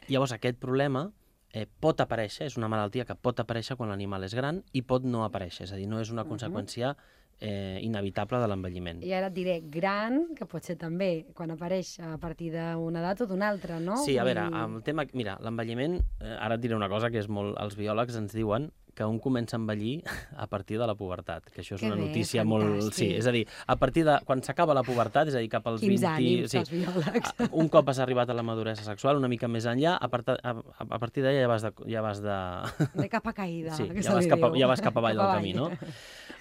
Llavors, aquest problema pot aparèixer, és una malaltia que pot aparèixer quan l'animal és gran i pot no aparèixer, és a dir, no és una conseqüència inevitable de l'envelliment. I ara et diré gran, que pot ser també quan apareix a partir d'una edat o d'una altra, no? Sí, a veure, el tema, mira, l'envelliment, ara et diré una cosa que és molt... Els biòlegs ens diuen que un comença a envellir a partir de la pubertat, que això és una notícia molt... Sí, és a dir, a partir de... Quan s'acaba la pubertat, és a dir, cap als 20... Quins ànims, els biòlegs. Un cop has arribat a la maduresa sexual, una mica més enllà, a partir d'allà ja vas de... De capa caïda, sí, que ja vas cap avall del camí, no?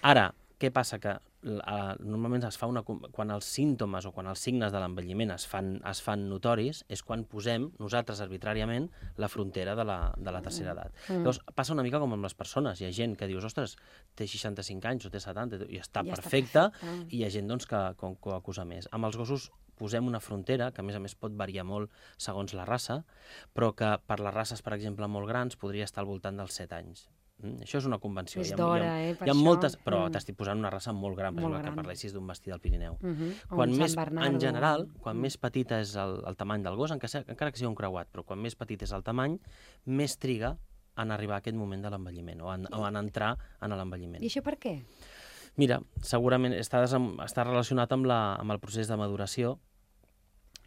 Ara, què passa? Que normalment es fa quan els símptomes o quan els signes de l'envelliment es fan notoris, és quan posem nosaltres arbitràriament la frontera de la tercera edat. Llavors, passa una mica com amb les persones. Hi ha gent que dius, ostres, té 65 anys o té 70 i està perfecte, i hi ha gent doncs, que ho acusa més. Amb els gossos posem una frontera, que a més pot variar molt segons la raça, però que per les races, per exemple, molt grans, podria estar al voltant dels 7 anys. Això és una convenció. És d'hora, per això. Moltes, però t'estic posant una raça molt gran, per exemple, que parlessis d'un bastí del Pirineu. En general, quan més petita és el tamany del gos, encara que sigui un creuat, però quan més petit és el tamany, més triga en arribar a aquest moment de l'envelliment o en entrar en l'envelliment. I això per què? Mira, segurament està relacionat amb el procés de maduració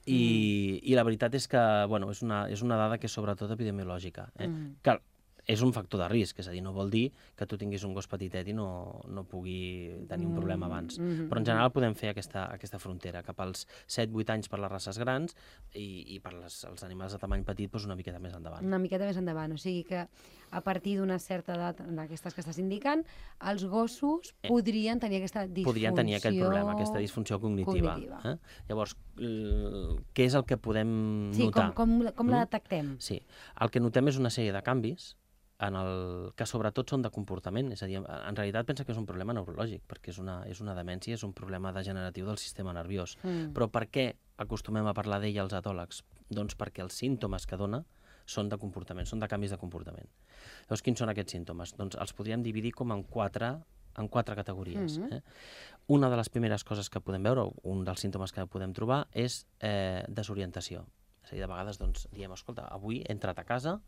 i la veritat és que és una dada que és sobretot epidemiològica. Que és un factor de risc, és a dir, no vol dir que tu tinguis un gos petitet i no pugui tenir un problema abans. Però en general podem fer aquesta frontera cap als 7-8 anys per les races grans i per els animals de tamany petit una miqueta més endavant. Una miqueta més endavant, o sigui que a partir d'una certa edat d'aquestes que estàs indicant, els gossos podrien tenir aquesta disfunció... Podrien tenir aquest problema, aquesta disfunció cognitiva. Llavors, què és el que podem notar? Sí, com la detectem? Sí, el que notem és una sèrie de canvis que sobretot són de comportament, és a dir, en realitat pensa que és un problema neurològic, perquè és una demència, és un problema degeneratiu del sistema nerviós. Però per què acostumem a parlar d'ell als etòlegs? Doncs perquè els símptomes que dona són de comportament, són de canvis de comportament. Llavors, quins són aquests símptomes? Doncs els podríem dividir com en quatre categories. Una de les primeres coses que podem veure, un dels símptomes que podem trobar, és desorientació. És a dir, de vegades diem, escolta, avui he entrat a casa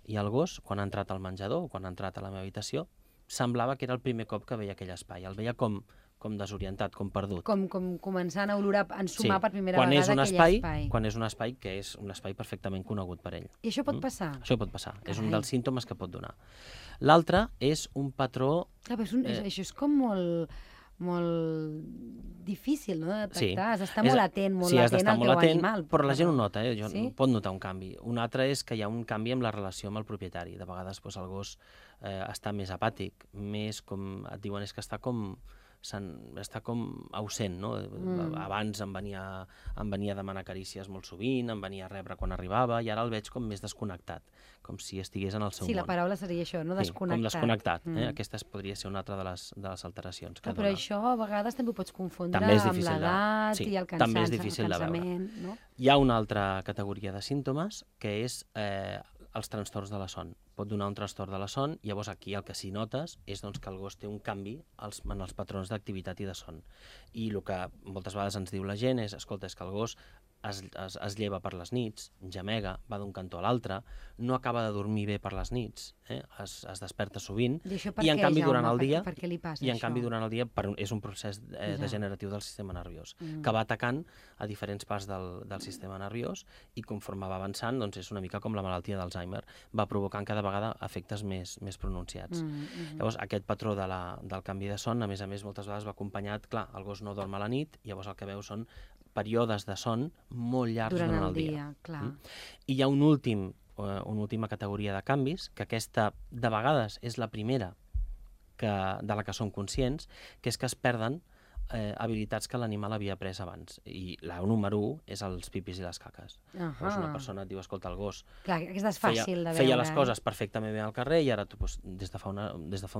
i el gos, quan ha entrat al menjador o quan ha entrat a la meva habitació, semblava que era el primer cop que veia aquell espai. El veia com desorientat, com perdut. Com començant a olorar, a ensumar per primera vegada aquell espai. Quan és un espai que és un espai perfectament conegut per ell. I això pot passar? Això pot passar. Carai. És un dels símptomes que pot donar. L'altre és un patró... Clar, això és com molt difícil, no?, de detectar. Has d'estar molt atent, al teu animal. Però la gent ho nota, pot notar un canvi. Un altre és que hi ha un canvi amb la relació amb el propietari. De vegades el gos està més apàtic, més com et diuen, és que està com ausent, no? Abans em venia a demanar carícies molt sovint, em venia a rebre quan arribava, i ara el veig com més desconnectat, com si estigués en el seu món. Sí, la paraula seria això, no? Desconnectat. Com desconnectat. Aquesta podria ser una altra de les alteracions que dona. Però això a vegades també ho pots confondre amb l'edat i el cansament. També és difícil de veure. Hi ha una altra categoria de símptomes, que és els trastorns de la son. Pot donar un trastorn de la son, i llavors aquí el que s'hi notes és que el gos té un canvi en els patrons d'activitat i de son. I el que moltes vegades ens diu la gent és, escolta, és que el gos es lleva per les nits, gemega, va d'un cantó a l'altre, no acaba de dormir bé per les nits, es desperta sovint, i en canvi durant el dia és un procés degeneratiu del sistema nerviós, que va atacant a diferents parts del sistema nerviós, i conforme va avançant, és una mica com la malaltia d'Alzheimer, va provocant cada vegada efectes més pronunciats. Llavors, aquest patró del canvi de son, a més, moltes vegades va acompanyat, clar, el gos no dorm a la nit, i llavors el que veu són períodes de son molt llargs durant el dia. I hi ha una última categoria de canvis, que aquesta de vegades és la primera de la que som conscients, que és que es perden habilitats que l'animal havia après abans. I la número 1 és els pipis i les caques. Una persona et diu, escolta, el gos feia les coses perfectament bé al carrer, i ara des de fa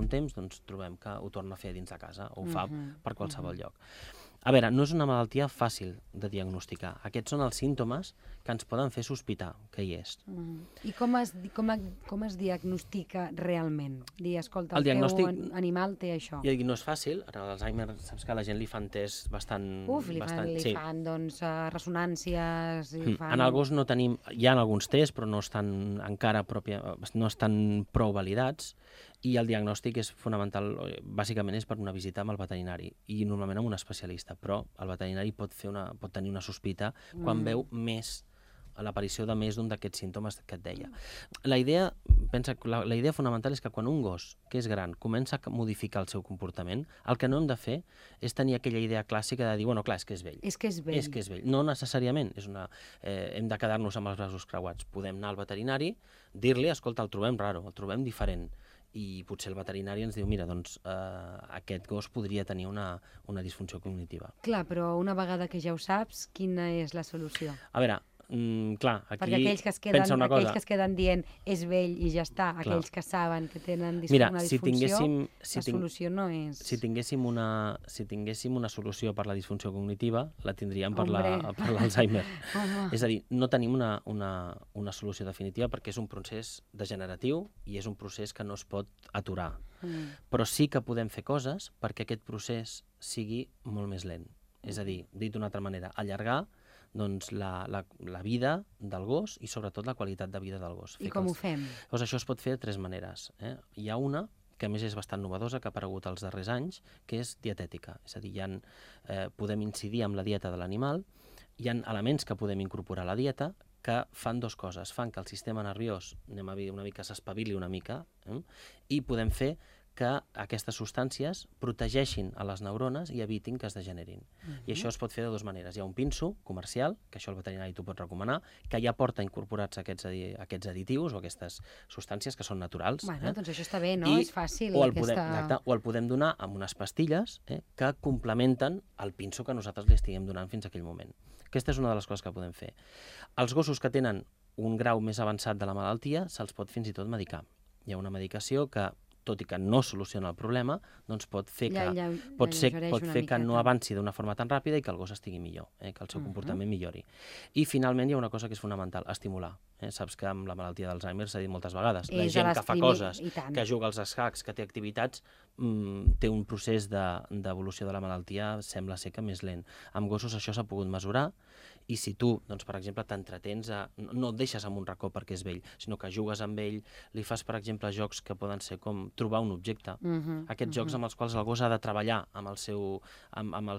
un temps trobem que ho torna a fer dins de casa, o ho fa per qualsevol lloc. A veure, no és una malaltia fàcil de diagnosticar. Aquests són els símptomes que ens poden fer sospitar que hi és. I com es diagnostica realment? Dir, escolta, el teu animal té això. I no és fàcil. Ara l'Alzheimer, saps que a la gent li fan tests bastant... Li fan ressonàncies... En el gos no tenim... Hi ha alguns tests, però no estan encara no estan prou validats, i el diagnòstic és fonamental, bàsicament és per una visita amb el veterinari, i normalment amb un especialista, però el veterinari pot tenir una sospita quan veu l'aparició de més d'un d'aquests símptomes que et deia. La idea fonamental és que quan un gos, que és gran, comença a modificar el seu comportament, el que no hem de fer és tenir aquella idea clàssica de dir, bueno, clar, és que és vell. És que és vell. No necessàriament. Hem de quedar-nos amb els braços creuats. Podem anar al veterinari, dir-li, escolta, el trobem raro, el trobem diferent, i potser el veterinari ens diu, mira, doncs aquest gos podria tenir una disfunció cognitiva. Clar, però una vegada que ja ho saps, quina és la solució? A veure, clar, aquí perquè aquells que es queden dient és vell i ja està, aquells que saben que tenen una disfunció, la solució no és... Si tinguéssim una solució per la disfunció cognitiva, la tindríem per l'Alzheimer. És a dir, no tenim una solució definitiva perquè és un procés degeneratiu i és un procés que no es pot aturar. Però sí que podem fer coses perquè aquest procés sigui molt més lent. És a dir, dit d'una altra manera, allargar la vida del gos i sobretot la qualitat de vida del gos. I com ho fem? Doncs això es pot fer de 3 maneres. Hi ha una que a més és bastant novedosa, que ha aparegut els darrers anys, que és dietètica. És a dir, podem incidir amb la dieta de l'animal, hi ha elements que podem incorporar a la dieta que fan 2 coses. Fan que el sistema nerviós, anem a dir una mica, s'espavili una mica, i podem fer que aquestes substàncies protegeixin a les neurones i evitin que es degenerin. I això es pot fer de 2 maneres. Hi ha un pinso comercial, que això el veterinari t'ho pot recomanar, que ja porta incorporats aquests additius o aquestes substàncies que són naturals. Bueno, doncs això està bé, no? És fàcil. O el podem donar amb unes pastilles que complementen el pinso que nosaltres li estiguem donant fins a aquell moment. Aquesta és una de les coses que podem fer. Els gossos que tenen un grau més avançat de la malaltia se'ls pot fins i tot medicar. Hi ha una medicació que tot i que no soluciona el problema, doncs pot fer que no avanci d'una forma tan ràpida i que el gos estigui millor, que el seu comportament millori. I finalment hi ha una cosa que és fonamental, estimular. Saps que amb la malaltia d'Alzheimer s'ha dit moltes vegades, la gent que fa coses, que juga als escacs, que té activitats, té un procés d'evolució de la malaltia, sembla ser que més lent. Amb gossos això s'ha pogut mesurar, i si tu, doncs, per exemple, t'entretens, no et deixes en un racó perquè és vell, sinó que jugues amb ell, li fas, per exemple, jocs que poden ser com trobar un objecte. Aquests jocs amb els quals el gos ha de treballar amb el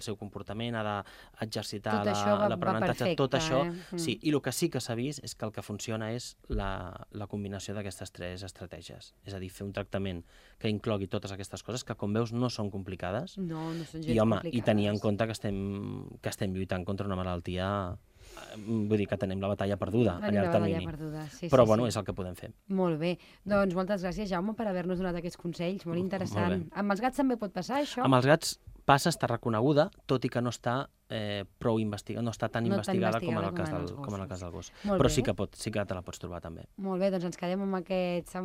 seu comportament, ha d'exercitar l'aprenentatge, tot això. Sí, i el que sí que s'ha vist és que el que funciona és la combinació d'aquestes 3 estratègies. És a dir, fer un tractament que inclogui totes aquestes coses, que com veus no són complicades, i tenir en compte que estem lluitant contra una malaltia. Vull dir que tenim la batalla perduda a llarg termini. Però, bueno, és el que podem fer. Molt bé. Doncs moltes gràcies, Jaume, per haver-nos donat aquests consells. Molt interessant. Amb els gats també pot passar, això? Amb els gats passa, està reconeguda, tot i que no està prou investigada, no està tan investigada com en el cas del gos. Però sí que te la pots trobar també. Molt bé, doncs ens quedem amb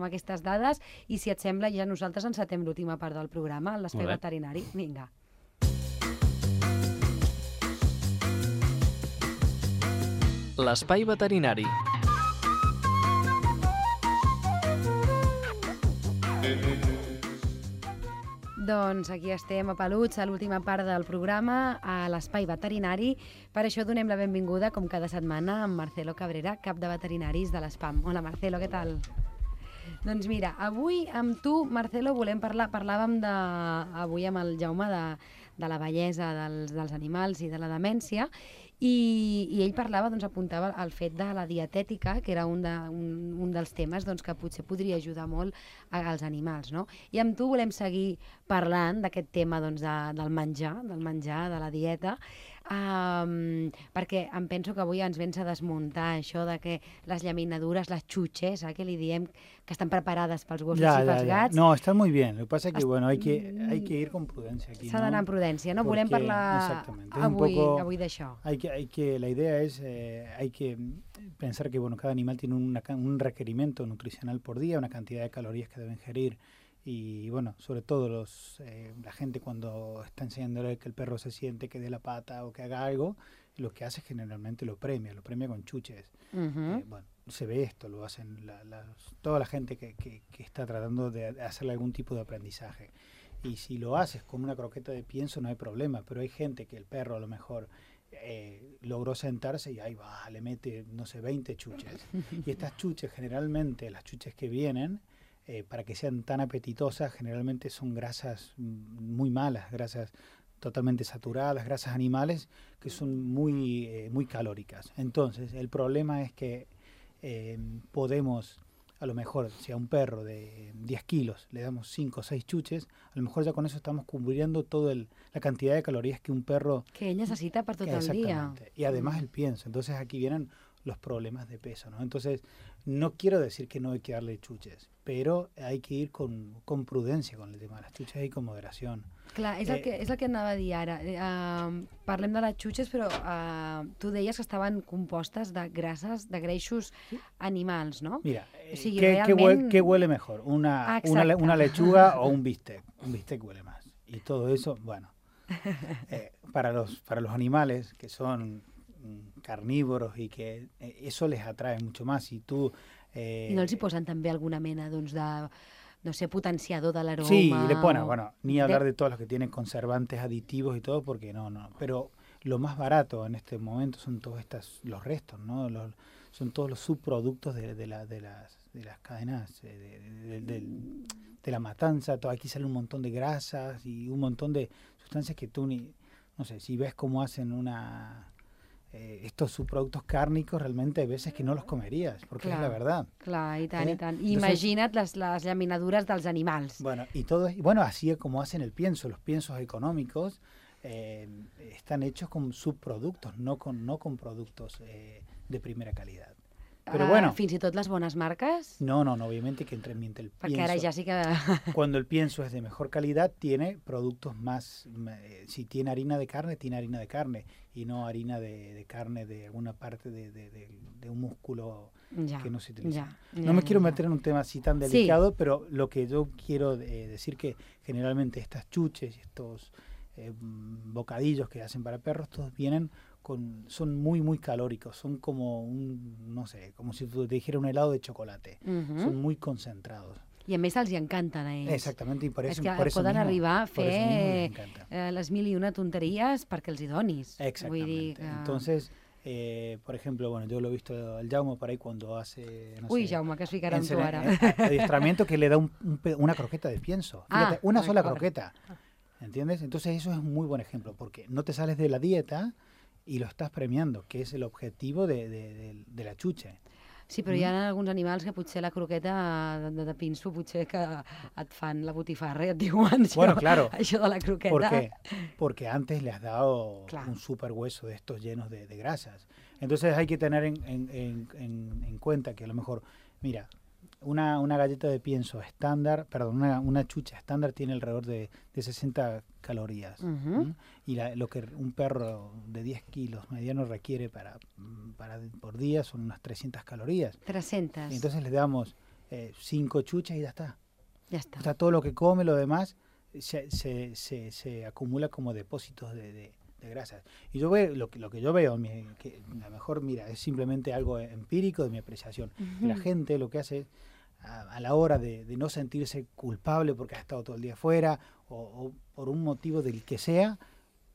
aquestes dades i, si et sembla, ja nosaltres encetem l'última part del programa, l'espai veterinari. Vinga. L'espai veterinari. Doncs aquí estem a Peluts, a l'última part del programa, a l'espai veterinari. Per això donem la benvinguda, com cada setmana, a Marcelo Cabrera, cap de veterinaris de l'ESPAM. Hola, Marcelo, què tal? Doncs mira, avui amb tu, Marcelo, parlàvem avui amb el Jaume de la bellesa dels animals i de la demència, i ell parlava, apuntava el fet de la dietètica, que era un dels temes que potser podria ajudar molt als animals, no? I amb tu volem seguir parlant d'aquest tema del menjar, de la dieta, perquè em penso que avui ens vens a desmuntar això de que les llaminadures, les xutxes, que li diem que estan preparades pels gossos i pels gats. No, están muy bien. Lo que pasa es que, bueno, hay que ir con prudencia aquí. S'ha d'anar amb prudència, no? Volem parlar avui d'això. La idea es, hay que pensar que, bueno, cada animal tiene un requerimiento nutricional por día, una cantidad de calorías que debe ingerir. Y bueno, sobre todo la gente cuando está enseñándole que el perro se siente, que dé la pata o que haga algo, lo que hace es generalmente lo premia con chuches. Bueno, se ve esto, lo hacen toda la gente que está tratando de hacerle algún tipo de aprendizaje. Y si lo haces con una croqueta de pienso no hay problema, pero hay gente que el perro a lo mejor logró sentarse y ahí va, le mete, no sé, 20 chuches. Y estas chuches, generalmente, las chuches que vienen, para que sean tan apetitosas, generalmente son grasas muy malas, grasas totalmente saturadas, grasas animales que son muy calóricas. Entonces, el problema es que podemos, a lo mejor, si a un perro de 10 kilos le damos 5 o 6 chuches, a lo mejor ya con eso estamos cubriendo toda la cantidad de calorías que un perro... Que ell necessita per tot el dia. Y además el pienso. Entonces, aquí vienen los problemas de peso, ¿no? Entonces, no quiero decir que no hay que darle chuches, pero hay que ir con prudencia con el tema de las chuches y con moderación. Clar, és el que anava a dir ara. Parlem de les xuches, però tu deies que estaven compostes de greixos animals, ¿no? Mira, o sigui, ¿qué huele mejor? ¿Una lechuga o un bistec? Un bistec huele más. Y todo eso, bueno, para los animales que son carnívoros y que eso les atrae mucho más. Y tú... I no els hi posen també alguna mena, de, no sé, potenciador de l'aroma? Sí, le ponen, bueno, ni hablar de todos los que tienen conservantes, aditivos y todo, porque no. Pero lo más barato en este momento son todos los restos, ¿no? Son todos los subproductos de las cadenas, de la matanza. Aquí sale un montón de grasas y un montón de sustancias que tú no sé, si ves cómo hacen estos subproductos cárnicos, realmente hay veces que no los comerías, porque es la verdad. Clar, i tant, i tant. Imagina't les llaminadures dels animals. Bueno, así como hacen el pienso, los piensos económicos están hechos con subproductos, no con productos de primera calidad. Pero bueno. Fins i tot les bones marques? No, obviamente que mientras el pienso... Porque ara ja sí que... Cuando el pienso es de mejor calidad, tiene productos más... si tiene harina de carne, tiene harina de carne, y no harina de carne de alguna parte de un músculo que no se utiliza. No me quiero meter en un tema así tan delicado, pero lo que yo quiero decir que generalmente estas chuches y estos bocadillos que hacen para perros, todos vienen son muy, muy calóricos, son como no sé, como si te dijera un helado de chocolate, son muy concentrados. I a més els hi encanten a ells. Exactament, i per és eso, que por eso poden mismo, arribar a fer les mil i una tonteries perquè els hi donis. Exactamente. Vull dir que... Entonces, por ejemplo, bueno, yo lo he visto al Jaume por ahí cuando hace, no sé, Jaume, que es ficarà amb tu ara. Adiestramiento que le da una croqueta de pienso. Fíjate, una sola croqueta. ¿Entiendes? Entonces eso es un muy buen ejemplo, porque no te sales de la dieta y lo estás premiando, que es el objetivo de la chuche. Sí, però hi ha alguns animals que potser la croqueta de pinso potser que et fan la botifarra i et diuen això de la croqueta. ¿Por qué? Porque antes le has dado un super hueso de estos llenos de grasas. Entonces hay que tener en cuenta que a lo mejor, mira, una galleta de pienso estándar, perdón, una chucha estándar tiene alrededor de 60 calorías. Y lo que un perro de 10 kilos mediano requiere por día son unas 300 calorías. 300. Y entonces le damos 5 chuchas y ya está. Ya está. O sea, todo lo que come, lo demás, se acumula como depósitos de grasas. Y yo veo lo que yo veo, que a lo mejor, mira, es simplemente algo empírico de mi apreciación. La gente lo que hace es, a la hora de no sentirse culpable porque ha estado todo el día afuera o por un motivo del que sea,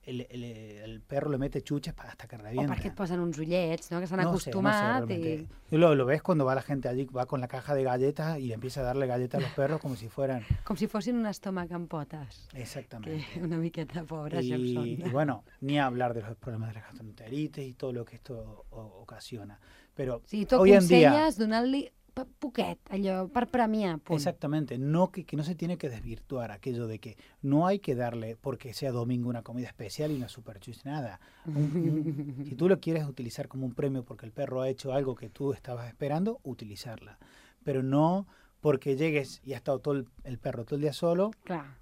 el perro le mete chuches hasta que revienta. O perquè et posen uns ullets, no? Que s'han acostumat. No sé, lo ves cuando va la gente allí, va con la caja de galletas y empieza a darle galletas a los perros como si fueran... Com si fossin un estómac amb potes. Exactamente. Que una miqueta pobres ja són. Y bueno, ni hablar de los problemas de la gastroenteritis y todo lo que esto ocasiona. Pero sí, tu hoy en día... aconselles donar-li poquet, allò, per premiar. Punt. Exactamente, no que no se tiene que desvirtuar aquello de que no hay que darle, porque sea domingo, una comida especial y una superchuche, nada. Si tú lo quieres utilizar como un premio porque el perro ha hecho algo que tú estabas esperando, utilizarla. Pero no porque llegues y ha estado todo el perro todo el día solo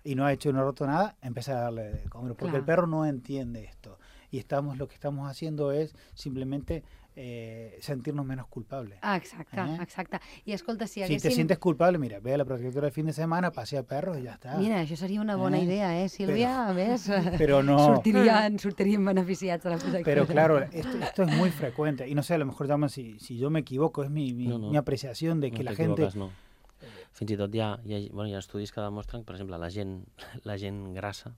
y no ha hecho, no ha roto nada, empezar a darle de comer, porque el perro no entiende esto. Y lo que estamos haciendo es simplemente sentirnos menos culpables. Exacte. I escolta, si te sientes culpable, mira, ve a la protectora el fin de semana, pasea perros i ja està. Mira, això seria una bona idea, Sílvia? A més, pero no... sortirien beneficiats a la protectora. Pero claro, esto es muy frecuente. Y no sé, a lo mejor llaman si yo me equivoco, es mi apreciación de que la gente... No. Fins i tot hi ha estudis que demostren, per exemple, la gent grassa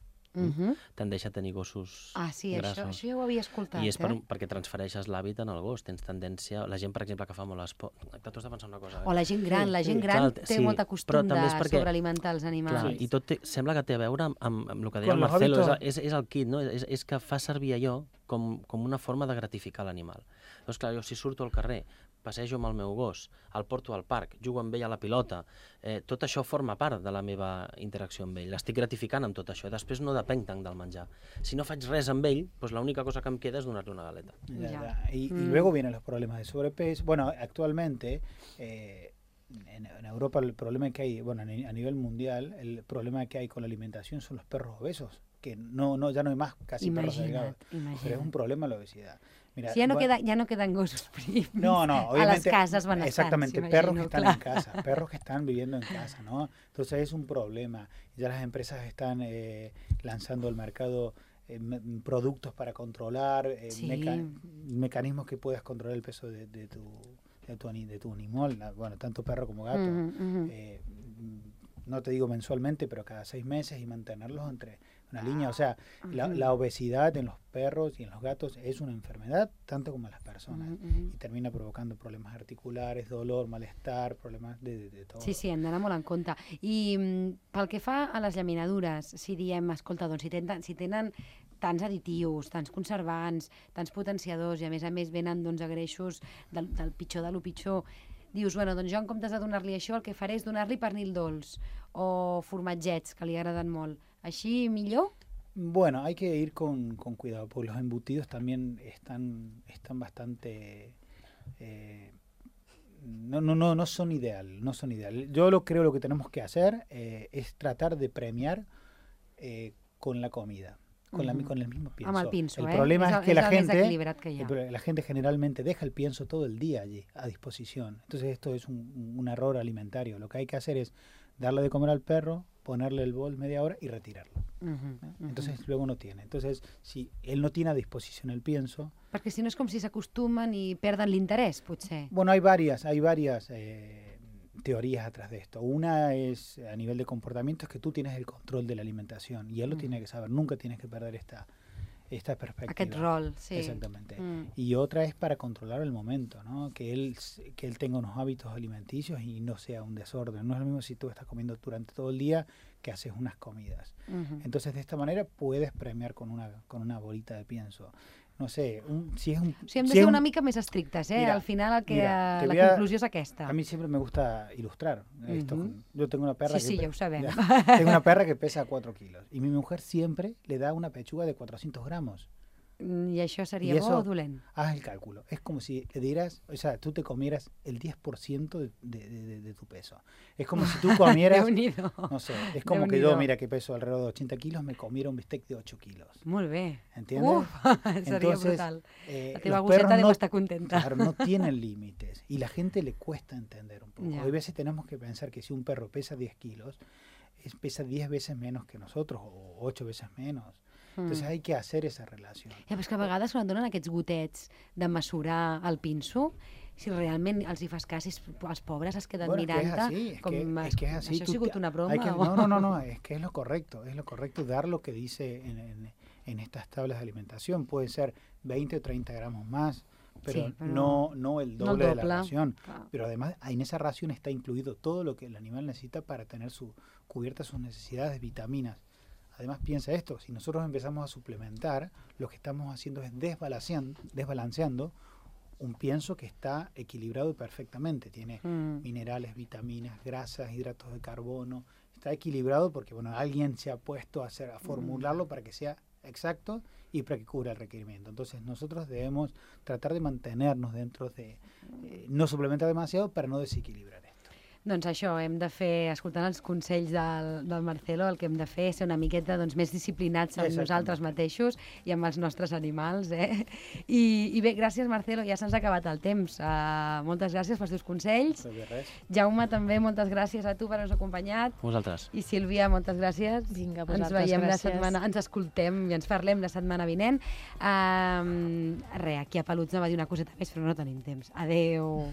tendeix a tenir gossos grassos. Això ja ho havia escoltat. I és perquè transfereixes l'hàbit en el gos. Tens tendència... La gent, per exemple, que fa molt esport... T'ho has de pensar una cosa. O la gent gran. La gent gran té molt costum de sobrealimentar els animals. I tot sembla que té a veure amb el que deia el Marcelo. És el kit, no? És que fa servir allò com una forma de gratificar l'animal. Llavors, clar, jo si surto al carrer, passejo amb el meu gos, el porto al parc, jugo amb ell a la pilota, tot això forma part de la meva interacció amb ell. L'estic gratificant amb tot això. Després no depenc tant del menjar. Si no faig res amb ell, pues l'única cosa que em queda és donar-li una galeta. Y luego vienen los problemas de sobrepeso. Bueno, actualmente en Europa el problema que hay, bueno, a nivel mundial, el problema que hay con la alimentación son los perros obesos, que ya no hay más casi perros delgados. Pero es un problema la obesidad. Mira, sí, ya no quedan gossos prims obviamente, a las casas benestants. Exactamente, perros que están en casa, perros que están viviendo en casa, ¿no? Entonces es un problema. Ya las empresas están lanzando al mercado productos para controlar, mecanismos que puedas controlar el peso de tu animal, bueno, tanto perro como gato. No te digo mensualmente, pero cada 6 meses y mantenerlos entre una línea. O sea, la obesidad en los perros y en los gatos es una enfermedad, tanto como en las personas. Y termina provocando problemas articulares, dolor, malestar, problemas de todo. Sí, hem d'anar molt en compte. I pel que fa a les llaminadures, si diem, escolta, doncs si tenen tants additius, tants conservants, tants potenciadors i a més venen a greixos del pitjor de lo pitjor, dius, bueno, doncs jo en comptes de donar-li això el que faré és donar-li pernil dolç o formatgets, que li agraden molt. Així millor? Bueno, hay que ir con cuidado, porque los embutidos también están bastante no son ideal, no son ideal. Yo creo lo que tenemos que hacer es tratar de premiar con la comida, con el mismo pienso. Amb el pinso, el problema es que la gente generalmente deja el pienso todo el día allí a disposición. Entonces esto es un error alimentario. Lo que hay que hacer es darle de comer al perro, ponerle el bol media hora y retirarlo. Entonces luego no tiene. Entonces, si él no tiene a disposición el pienso... Perquè si no és com si s'acostumen i perden l'interès, potser. Bueno, hay varias teorías atrás de esto. Una es a nivel de comportamiento, es que tú tienes el control de la alimentación y él lo tiene que saber. Nunca tienes que perder esta perspectiva. Aquest rol, sí. Exactamente. Y otra es para controlar el momento, ¿no? Que él tenga unos hábitos alimenticios y no sea un desorden. No es lo mismo si tú estás comiendo durante todo el día que haces unas comidas. Entonces, de esta manera puedes premiar con una bolita de pienso. No sé, si es un... O sigui, hem de ser una mica més estrictes, Mira, al final la conclusió és aquesta. A mí siempre me gusta ilustrar esto. Yo tengo una perra sí, ja ho sabem. Tengo una perra que pesa 4 kilos y mi mujer siempre le da una pechuga de 400 gramos. I això seria bo o dolent? Haz el cálculo. Es como si le dieras, o sea, tú te comieras el 10% de tu peso. Es como si tú comieras, no sé, es como que yo, mira, que peso alrededor de 80 kilos, me comiera un bistec de 8 kilos. Molt bé. ¿Entiendes? Seria brutal. La teva los gosseta perros deu estar contenta. Claro, no tienen límites y la gente le cuesta entender un poco. Ya. Hay veces tenemos que pensar que si un perro pesa 10 kilos, pesa 10 veces menos que nosotros o 8 veces menos. Entonces hay que hacer esa relación. Ja, però és que a vegades quan donen aquests gotets de mesurar el pinso, si realment els hi fas cas, els pobres es queden mirant-te com... Es que es así. Això ha sigut una broma? No, es que es lo correcto dar lo que dice en estas tablas de alimentación. Puede ser 20 o 30 gramos más, pero, sí, pero no el doble de la ración. Claro. Pero además en esa ración está incluido todo lo que el animal necesita para tener cubiertas sus necesidades de vitaminas. Además, piensa esto, si nosotros empezamos a suplementar, lo que estamos haciendo es desbalanceando un pienso que está equilibrado perfectamente. Tiene minerales, vitaminas, grasas, hidratos de carbono. Está equilibrado porque alguien se ha puesto a formularlo para que sea exacto y para que cubra el requerimiento. Entonces, nosotros debemos tratar de mantenernos dentro de... no suplementar demasiado para no desequilibrar esto. Doncs això, hem de fer, escoltant els consells del Marcelo, el que hem de fer és ser una miqueta més disciplinats amb nosaltres mateixos i amb els nostres animals. I bé, gràcies, Marcelo, ja se'ns ha acabat el temps. Moltes gràcies pels teus consells. Jaume, també, moltes gràcies a tu per haver-nos acompanyat. Vosaltres. I Sílvia, moltes gràcies. Vinga, vosaltres, ens veiem gràcies. Ens escoltem i ens parlem la setmana vinent. Aquí a Peluts va dir una coseta més, però no tenim temps. Adeu.